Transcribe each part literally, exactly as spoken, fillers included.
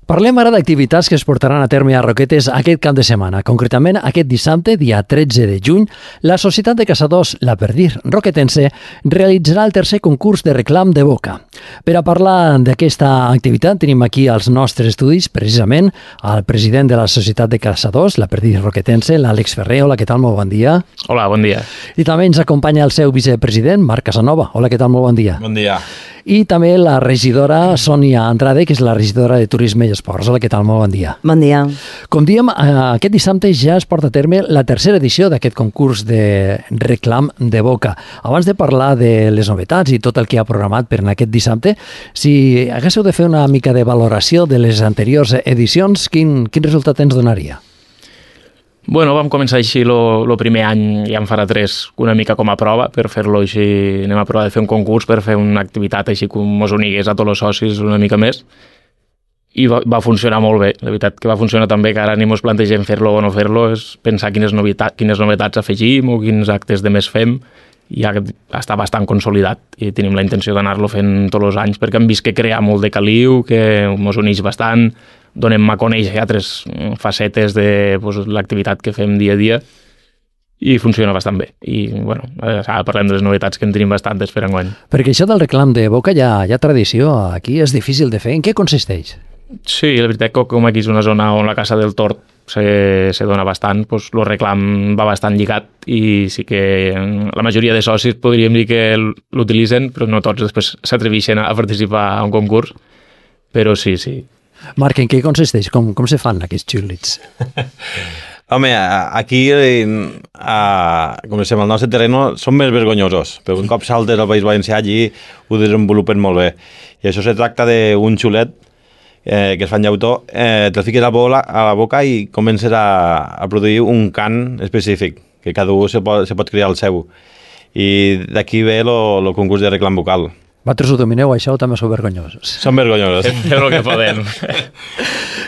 Parlem ara d'activitats que es portaran a terme a Roquetes aquest cap de setmana. Concretament, aquest dissabte, dia tretze de juny, la Societat de Caçadors La Perdir Roquetense realitzarà el tercer concurs de reclam de boca. Per a parlar d'aquesta activitat tenim aquí als nostres estudis, precisament, el president de la Societat de Caçadors La Perdir Roquetense, l'Àlex Ferrer. Hola, què tal? Molt bon dia. Hola, bon dia. I també ens acompanya el seu vicepresident, Marc Casanova. Hola, què tal? Molt bon dia. Bon dia. I també la regidora Sònia Andrade, que és la regidora de Turisme i Esports. Hola, què tal? Molt bon dia. Bon dia. Com diem, aquest dissabte ja es porta a terme la tercera edició d'aquest concurs de reclam de boca. Abans de parlar de les novetats i tot el que ha programat per en aquest dissabte, si haguéssiu de fer una mica de valoració de les anteriors edicions, quin, quin resultat ens donaria? Bueno, vam començar així el primer any, ja en farà tres, una mica com a prova, per fer-lo així, anem a provar de fer un concurs per fer una activitat així com mos unigués a tots els socis una mica més, i va, va funcionar molt bé. La veritat que va funcionar tan bé que ara ni mos plantegem fer-lo o no fer-lo, és pensar quines, novetat, quines novetats afegim o quins actes de més fem, i ja està bastant consolidat i tenim la intenció d'anar-lo fent tots els anys perquè hem vist que crea molt de caliu, que mos uneix bastant, donem a conèixer altres facetes de pues, l'activitat que fem dia a dia i funciona bastant bé. I bueno, ara parlem de les novetats que en tenim bastantes per enguany. Perquè això del reclam de boca ja hi ha tradició, aquí és difícil de fer. En què consisteix? Sí, la veritat que com aquí és una zona on la caça del tord se, se dona bastant, doncs el reclam va bastant lligat i sí que la majoria de socis podríem dir que l'utilitzen, però no tots després s'atreveixen a participar a un concurs, però sí, sí. Marc, en què consisteix? Com, com se fan aquests xiulits? Home, aquí, a, com diguem, al nostre terreny són més vergonyosos, però un cop saltes al País Valencià allí ho desenvolupen molt bé. I això se tracta d'un xulet eh, que es fa en llautó, eh, te'l fiques a la, bola, a la boca i comences a, a produir un cant específic, que cada un se pot, se pot crear el seu. I d'aquí ve el concurs de reclam vocal. Vosaltres ho domineu, això, o també sou vergonyosos? Som vergonyosos. Fem el que podem.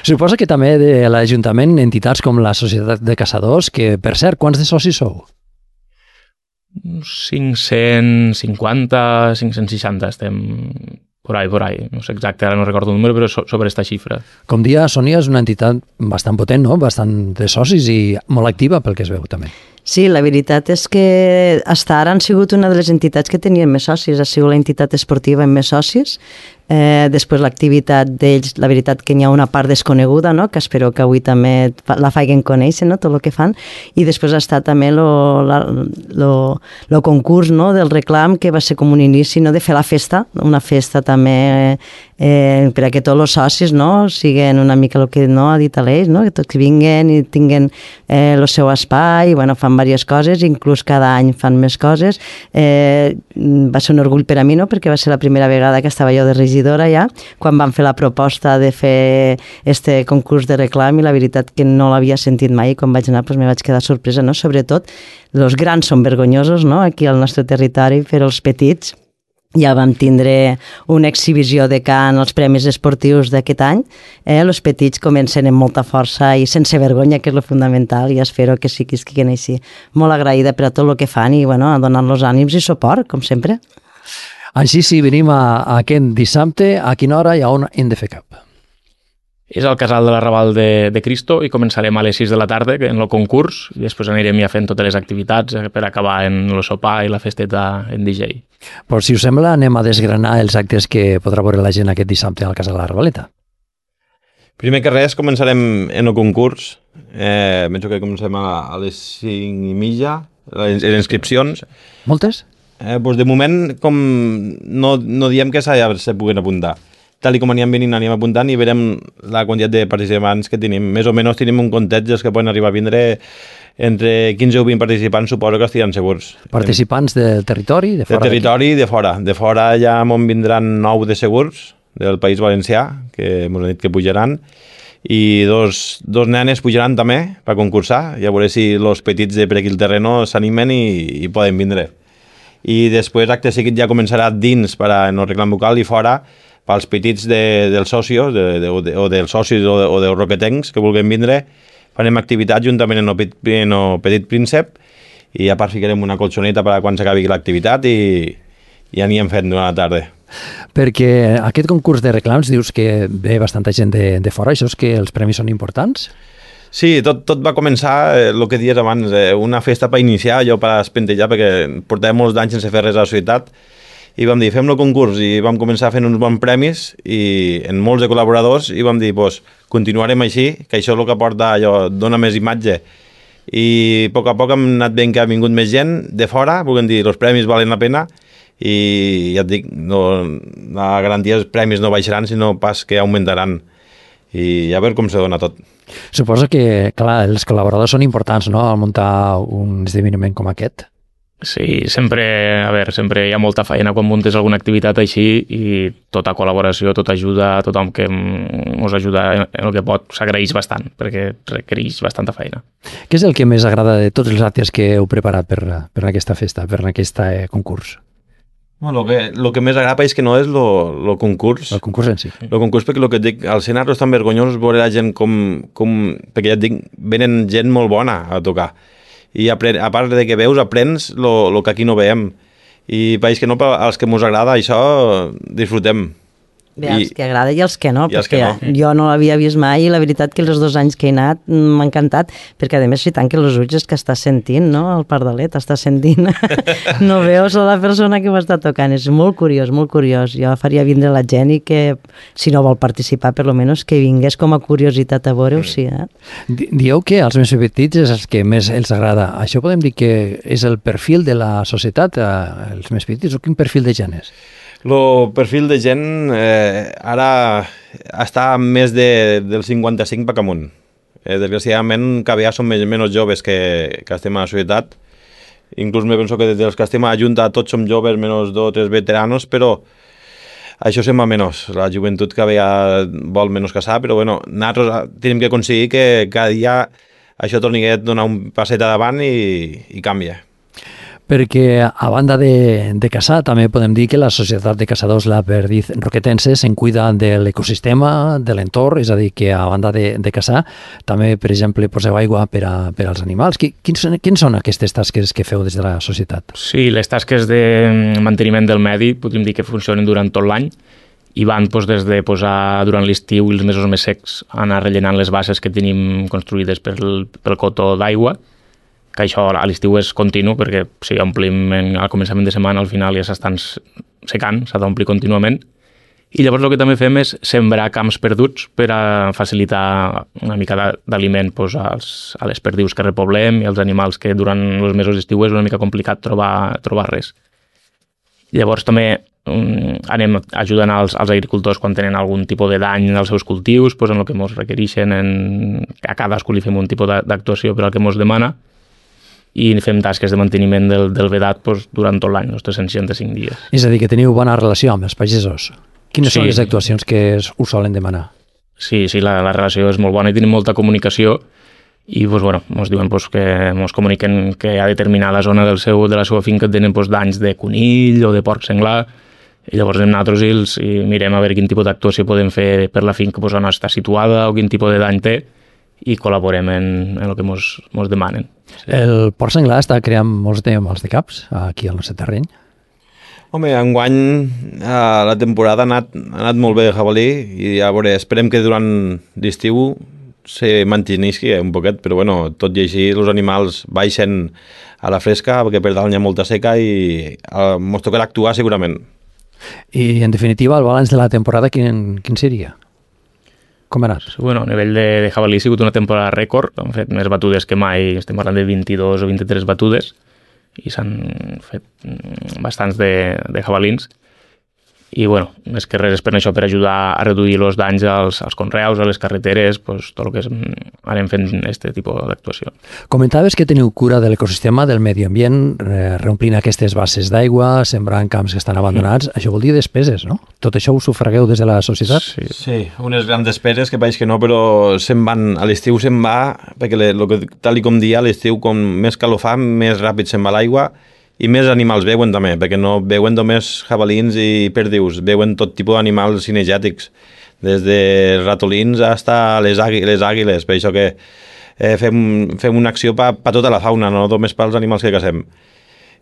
Suposa que també de l'Ajuntament, entitats com la Societat de Caçadors, que, per cert, quants de socis sou? cinc-cents cinquanta, cinc-cents seixanta estem por ahí, por ahí. No sé exacte, ara no recordo el número, però sobre aquesta xifra. Com dia, Sònia és una entitat bastant potent, no? Bastant de socis i molt activa, pel que es veu, també. Sí, la veritat és que fins ara han sigut una de les entitats que tenien més socis, ha sigut la entitat esportiva amb més socis, eh, després l'activitat d'ells, la veritat que n'hi ha una part desconeguda, no? Que espero que avui també la facin conèixer, no? Tot el que fan, i després ha estat també el concurs, no? Del reclam, que va ser com un inici, no? De fer la festa, una festa també eh, per a que tots els socis, no? Siguen una mica el que no ha dit l'Eix, no? Que tots vinguen i tinguen eh, el seu espai, i bueno, fan diverses coses, inclús cada any fan més coses. Eh, va ser un orgull per a mi, no? Perquè va ser la primera vegada que estava jo de regidora ja, quan van fer la proposta de fer este concurs de reclam, i la veritat que no l'havia sentit mai, i quan vaig anar doncs, me vaig quedar sorpresa, no? Sobretot, els grans són vergonyosos, no? Aquí al nostre territori, però els petits ja vam tindre una exhibició de cant als Premis Esportius d'aquest any. Eh? Els petits comencen amb molta força i sense vergonya, que és el fundamental, i espero que sí que estiguen així. Molt agraïda per a tot el que fan i bueno, a donar-los ànims i suport, com sempre. Així, si venim a, a aquest dissabte, a quina hora i a on hem de fer cap? És al casal de l'Arrabal de, de Cristo i començarem a les sis de la tarda en el concurs i després anirem ja fent totes les activitats per acabar en el sopar i la festeta en D J. Però si us sembla, anem a desgranar els actes que podrà veure la gent aquest dissabte al casal de l'Arrabaleta. Primer que res, començarem en el concurs. Eh, penso que comencem a, a les cinc i mitja, les, les inscripcions. Moltes? Eh, doncs de moment, com no, no diem que ja se puguen apuntar. Tal com anirem venint, anirem apuntant i veurem la quantitat de participants que tenim. Més o menys tenim un comptet dels que poden arribar a vindre entre quinze o vint participants, suposo que estiran segurs. Participants del territori? De fora del territori i de fora. De fora ja m'on vindran nou de segurs, del País Valencià, que m'ho han dit que pujaran, i dos, dos nenes pujaran també per concursar, i a veure si els petits de per aquí el terreno s'animen i, i poden vindre. I després acte seguit ja començarà dins per a no reclam vocal i fora pels petits de, dels socios de, de, de, o dels socis o, de, o dels roquetencs que vulguin vindre, farem activitat juntament en el Petit, en el petit Príncep i a part ficarem una colxoneta per a quan s'acabi l'activitat i, i ja n'hi hem fet durant la tarda. Perquè aquest concurs de reclams dius que ve bastanta gent de, de fora, això és que els premis són importants? Sí, tot, tot va començar, eh, el que dies abans, eh, una festa per iniciar, allò per espentejar, perquè portàvem molts anys sense fer res a la societat, i vam dir, fem el concurs, i vam començar fent uns bons premis, i en molts de col·laboradors, i vam dir, pues, continuarem així, que això és el que porta, allò, dona més imatge, i a poc a poc hem anat veient que ha vingut més gent de fora, volem dir, els premis valen la pena, i ja et dic, no, la garantia dels premis no baixaran, sinó pas que augmentaran, i a veure com se dona tot. Suposo que, clar, els col·laboradors són importants, no?, al muntar un esdeveniment com aquest. Sí, sempre, a veure, sempre hi ha molta feina quan muntes alguna activitat així i tota col·laboració, tota ajuda, tothom que ens ajuda en el que pot s'agraeix bastant, perquè requereix bastanta feina. Què és el que més agrada de tots els actes que heu preparat per, per aquesta festa, per aquest eh, concurs? Bueno, lo, que, lo que més agrada és que no és lo, lo concurs. El concurs en si. El concurs, perquè el que et dic, al ser és tan vergonyós veure la gent com, com... Perquè ja et dic, venen gent molt bona a tocar. I a, a part de que veus, aprens el que aquí no veiem. I pareix que no, però als que ens agrada això, disfrutem. Bé, els que agrada i els que no, I els perquè que no. jo no l'havia vist mai i la veritat que els dos anys que he anat m'ha encantat, perquè a més si tant que els ulls és que estàs sentint, no? El pardalet estàs sentint, no veus la persona que ho està tocant, és molt curiós, molt curiós. Jo faria vindre la gent i que, si no vol participar, per lo menos que vingués com a curiositat a veure-ho, sí. Eh? Dieu que als més petits és els que més els agrada. Això podem dir que és el perfil de la societat, eh, els més petits, o quin perfil de gent és? El perfil de gent eh, ara està més de, del cinquanta-cinc per amunt. Eh, desgraciadament, cada vegada som menys joves que, que estem a la societat. Inclús me penso que dels que estem a la Junta tots som joves, menys dos o tres veteranos, però això sembla menys. La joventut cada vegada vol menys casar, però bueno, nosaltres tenim que aconseguir que cada dia això torni a donar un passet davant i, i canvia. Perquè a banda de, de caçar també podem dir que la Societat de Caçadors La Perdiz Roquetense se'n cuida de l'ecosistema, de l'entorn, és a dir, que a banda de, de caçar també, per exemple, poseu aigua per, a, per als animals. Quins són, quins són aquestes tasques que feu des de la societat? Sí, les tasques de manteniment del medi podríem dir que funcionen durant tot l'any i van doncs, des de posar durant l'estiu i els mesos més secs anar rellenant les basses que tenim construïdes pel, pel cotó d'aigua, que això a l'estiu és continu, perquè si omplim en, al començament de setmana, al final ja s'estan secant, s'ha d'omplir contínuament. I llavors el que també fem és sembrar camps perduts per a facilitar una mica d'aliment doncs, als, a les perdius que repoblem i als animals que durant els mesos d'estiu és una mica complicat trobar, trobar res. Llavors també um, anem ajudant als, als agricultors quan tenen algun tipus de dany als seus cultius, doncs en el que ens requereixen, en, a cadascú li fem un tipus d'actuació per al que ens demana, i fem tasques de manteniment del, del vedat doncs, durant tot l'any, els tres cents seixanta-cinc dies. És a dir, que teniu bona relació amb els pagesos. Quines sí. són les actuacions que us solen demanar? Sí, sí, la, la relació és molt bona i tenim molta comunicació i doncs, bueno, ens diuen doncs, que ens comuniquen que a determinada zona del seu, de la seva finca tenen doncs, danys de conill o de porc senglar i llavors anem nosaltres i, els, i mirem a veure quin tipus d'actuació podem fer per la finca doncs, on està situada o quin tipus de dany té i col·laborem en, en el que ens demanen. Sí. El porc senglar està creant molts de mals de caps aquí al nostre terreny? Home, enguany eh, la temporada ha anat, ha anat molt bé de jabalí i a veure, esperem que durant l'estiu se mantinguisqui un poquet, però bueno, tot i així els animals baixen a la fresca perquè per dalt hi ha molta seca i eh, ens tocarà actuar segurament. I en definitiva, el balanç de la temporada quin, quin seria? Com ha anat? Bueno, a nivell de, de jabalí ha sigut una temporada rècord, han fet més batudes que mai, estem parlant de vint-i-dos o vint-i-tres batudes i s'han fet bastants de, de jabalins i bueno, més que res és per això, per ajudar a reduir els danys als, als conreus, a les carreteres, pues, tot el que és, anem fent aquest tipus d'actuació. Comentaves que teniu cura de l'ecosistema, del medi ambient, eh, reomplint aquestes basses d'aigua, sembrant camps que estan abandonats, mm. això vol dir despeses, no? Tot això ho sufragueu des de la societat? Sí, sí, unes grans despeses que pareix que no, però se'n van, a l'estiu se'n va, perquè le, lo que, tal i com dia, a l'estiu com més calor fa, més ràpid se'n va l'aigua, i més animals veuen també, perquè no veuen només jabalins i perdius, veuen tot tipus d'animals cinegètics, des de ratolins fins a les, àgui, les àguiles, per això que eh, fem, fem una acció per pa tota la fauna, no només pels animals que cacem.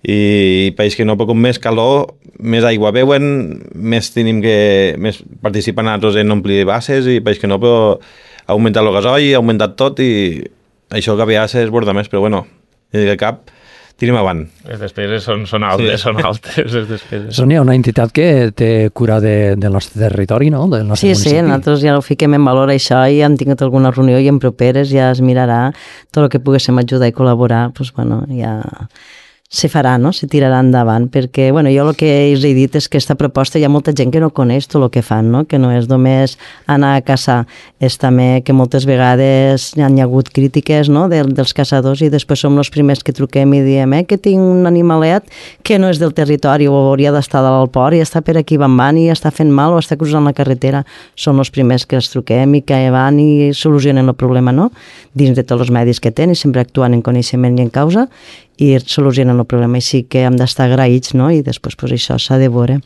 i país que no, però com més calor, més aigua beuen, més tenim que més participen altres en omplir bases, i país que no, però ha augmentat el gasoil, ha augmentat tot, i això que havia s'esborda més, però bueno, de cap tenim avant. Les despeses són, són altes, sí. són altes les despeses. Sònia, una entitat que té cura de, del nostre territori, no? Del nostre sí, municipi. Sí, nosaltres ja ho fiquem en valor això i hem tingut alguna reunió i en properes ja es mirarà tot el que poguéssim ajudar i col·laborar, doncs bueno, ja se farà, no? Se tirarà endavant, perquè, bueno, jo el que us he dit és que aquesta proposta hi ha molta gent que no coneix tot el que fan, no? Que no és només anar a caçar, és també que moltes vegades hi ha hagut crítiques, no? De, dels caçadors, i després som els primers que truquem i diem eh, que tinc un animalet que no és del territori o hauria d'estar dalt al port i està per aquí bambant i està fent mal o està cruzant la carretera. Són els primers que els truquem i que van i solucionen el problema, no? Dins de tots els medis que tenen, sempre actuant en coneixement i en causa, i solucionen el problema, i sí que hem d'estar agraïts, no? I després pues, això s'ha de veure.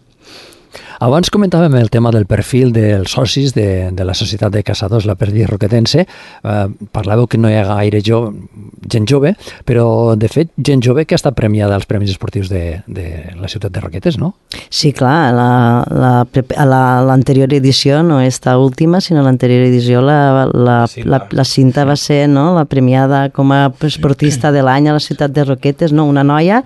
Abans comentàvem el tema del perfil dels socis de, de la Societat de Caçadors La Perdiz Roquetense. Eh, parlàveu que no hi ha gaire jo, gent jove, però de fet gent jove que ha estat premiada als Premis Esportius de, de la ciutat de Roquetes, no? Sí, clar, la, la, la, l'anterior edició no esta última, sinó l'anterior edició la, la, la, la Cinta va ser, no?, la premiada com a esportista de l'any a la ciutat de Roquetes, no? Una noia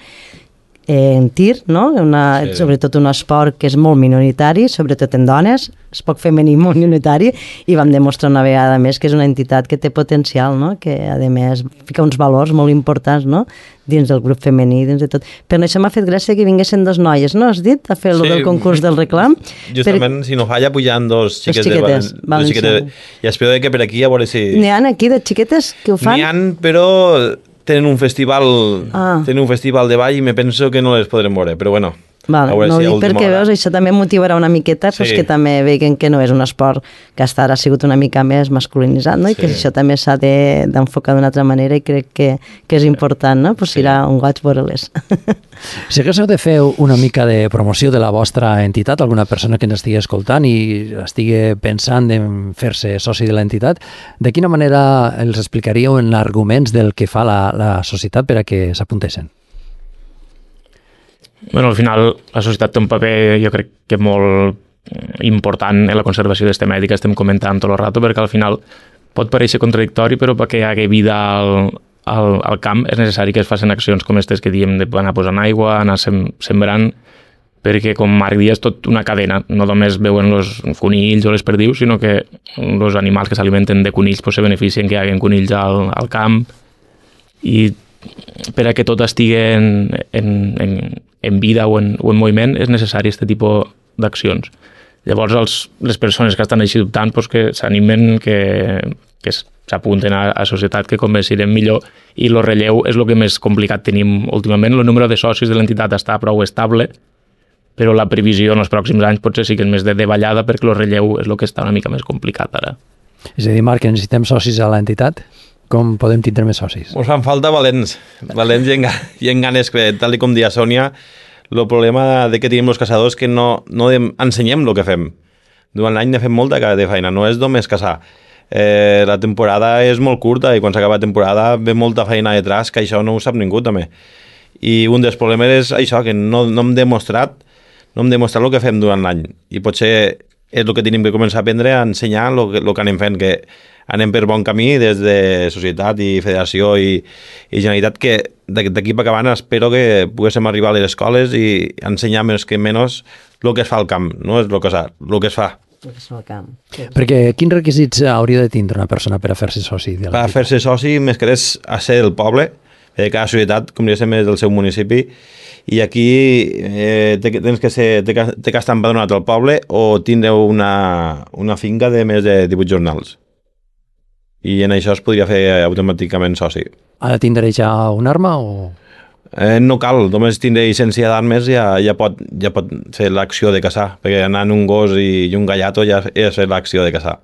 en tir, no? Una, sí. Sobretot un esport que és molt minoritari, sobretot en dones, és poc femení, molt minoritari, i vam demostrar una vegada més que és una entitat que té potencial, no? Que a més fica uns valors molt importants, no? Dins del grup femení, dins de tot. Però això m'ha fet gràcia que vinguessin dos noies, no? Has dit? A fer sí. el del concurs del reclam. Justament, per... si no falla, pujan dos xiquets. Dos xiquetes, de... dos xiquetes. I espero que per aquí a veure si... N'hi ha aquí de xiquetes que ho fan? N'hi ha, però... tenen un festival ah. tenen un festival de ball i me penso que no les podrem veure, però bueno. Vale, no si ho dic perquè hora. Veus, això també motivarà una miqueta, sí. Pues que també veguen que no és un esport que hasta ara ha sigut una mica més masculinitzat, no? I sí. Que això també s'ha de, d'enfocar d'una altra manera, i crec que, que és important, no? Pues sí. Serà un goig veure-les. Si haguéssiu de fer una mica de promoció de la vostra entitat, alguna persona que ens estigui escoltant i estigui pensant en fer-se soci de l'entitat, de quina manera els explicaríeu en arguments del que fa la, la societat per a que s'apuntessin? Bueno, al final la societat té un paper, jo crec que molt important en la conservació d'aquesta medi que estem comentant tot el rato, perquè al final pot parèixer contradictori, però perquè hi hagi vida al, al, al camp és necessari que es facin accions com aquestes que diem d'anar posant aigua, anar sem sembrant, perquè com Marc dia és tot una cadena, no només veuen els conills o les perdius, sinó que els animals que s'alimenten de conills pues, se beneficien que hi hagi conills al, al camp, i per a que tot estigui en, en, en, en vida o en, o en moviment és necessari aquest tipus d'accions. Llavors els, les persones que estan així dubtant pues, que s'animen, que, que s'apunten a la societat, que convencirem millor, i el relleu és el que més complicat tenim últimament. El número de socis de l'entitat està prou estable, però la previsió en els pròxims anys potser sí que és més de davallada, perquè el relleu és el que està una mica més complicat ara. És a dir, Marc, que necessitem socis a l'entitat? Com podem tindre més socis? Ens fan falta valents, valents i, en, i en ganes, que tal com dia Sònia, el problema de que tenim els caçadors que no, no ensenyem el que fem. Durant l'any ne fem molta de feina, no és només caçar. Eh, la temporada és molt curta i quan s'acaba la temporada ve molta feina detrás, que això no ho sap ningú també. I un dels problemes és això, que no, no hem demostrat no hem demostrat el que fem durant l'any. I potser és el que tenim que començar a aprendre, a ensenyar el que, el que anem fent, que anem per bon camí des de societat i federació i, i Generalitat, que d'aquí per acabant espero que poguéssim arribar a les escoles i ensenyar més que menys el que es fa al camp, no és el que, el que es fa. El que es fa al camp. Perquè quins requisits hauria de tindre una persona per a fer-se soci? De per a fer-se soci, més que res, a ser del poble, de cada societat, com diguéssim, és del seu municipi, i aquí eh, tens que ser, té que, té que estar empadronat al poble o tindre una, una finca de més de divuit jornals. I en això es podria fer automàticament soci. Ha de tindre ja una arma o...? Eh, no cal, només tindre llicència d'armes ja, ja, pot, ja pot fer l'acció de caçar, perquè anar en un gos i, i un gallato ja és fer l'acció de caçar.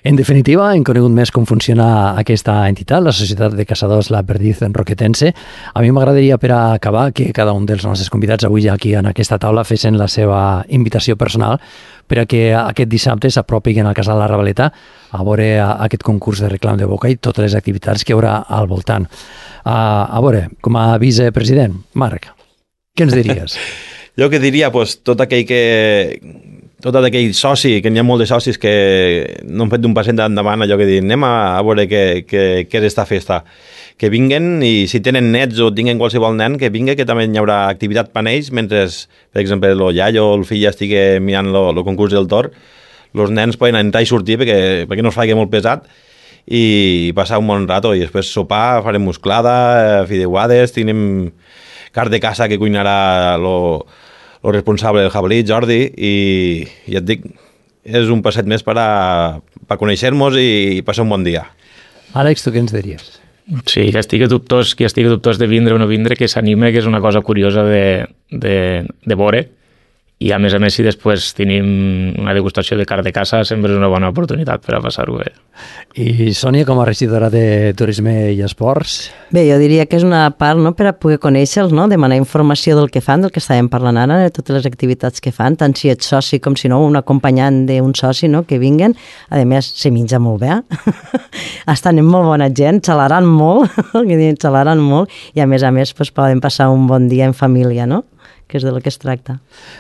En definitiva, hem conegut més com funciona aquesta entitat, la Societat de Caçadors La Perdiz Roquetense. A mi m'agradaria, per a acabar, que cada un dels nostres convidats avui aquí en aquesta taula fessin la seva invitació personal per a que aquest dissabte s'apropin al Casal La Ravaleta a veure aquest concurs de reclam de boca i totes les activitats que hi haurà al voltant. A, a veure, com a vicepresident, Marc, què ens diries? Jo que diria, pues, tot aquell que... tot aquell soci, que n'hi ha molts de socis que no han fet d'un passet endavant, allò que diuen, anem a, a veure què, què, què és esta festa. Que vinguen, i si tenen nets o tinguen qualsevol nen, que vingui, que també hi haurà activitat per ells, mentre, per exemple, el iaio o el fill estigui mirant el concurs del tor, els nens poden entrar i sortir perquè, perquè no es faci molt pesat i passar un bon rato, i després sopar, farem musclada, fideuades, tenim car de casa que cuinarà lo, lo responsable del jabalí, Jordi, i, i et dic, és un passet més per a, per conèixer-nos i, i passar un bon dia. Àlex, tu què ens diries? Sí, que estigui dubtós, que estigui dubtós de vindre o no vindre, que s'anime, que és una cosa curiosa de, de, de veure. I a més a més, si després tenim una degustació de car de caça, sempre és una bona oportunitat per a passar-ho bé. I Sònia, com a regidora de Turisme i Esports? Bé, jo diria que és una part, no?, per a poder conèixer-los, no?, demanar informació del que fan, del que estàvem parlant ara, de totes les activitats que fan, tant si ets soci com si no, un acompanyant d'un soci, no?, que vinguen. A més, se menja molt bé. Estan amb molt bona gent, xalaran molt, que diuen, xalaran molt, i a més a més pues, poden passar un bon dia en família, no?, que és de lo que es tracta.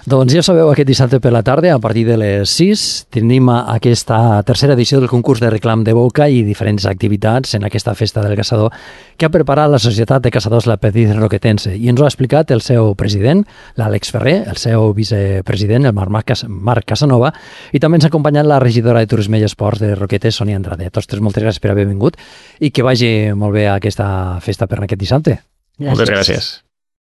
Doncs ja sabeu, aquest dissabte per la tarda, a partir de les sis, tenim aquesta tercera edició del concurs de reclam de boca i diferents activitats en aquesta festa del caçador que ha preparat la Societat de Caçadors La Perdiz Roquetense, i ens ho ha explicat el seu president, l'Àlex Ferrer, el seu vicepresident, el Marc, Cas Marc Casanova, i també ens ha acompanyat la regidora de Turisme i Esports de Roquetes, Sònia Andrade. A tots tres, moltes gràcies per haver vingut i que vagi molt bé aquesta festa per aquest dissabte. Gràcies. Moltes gràcies.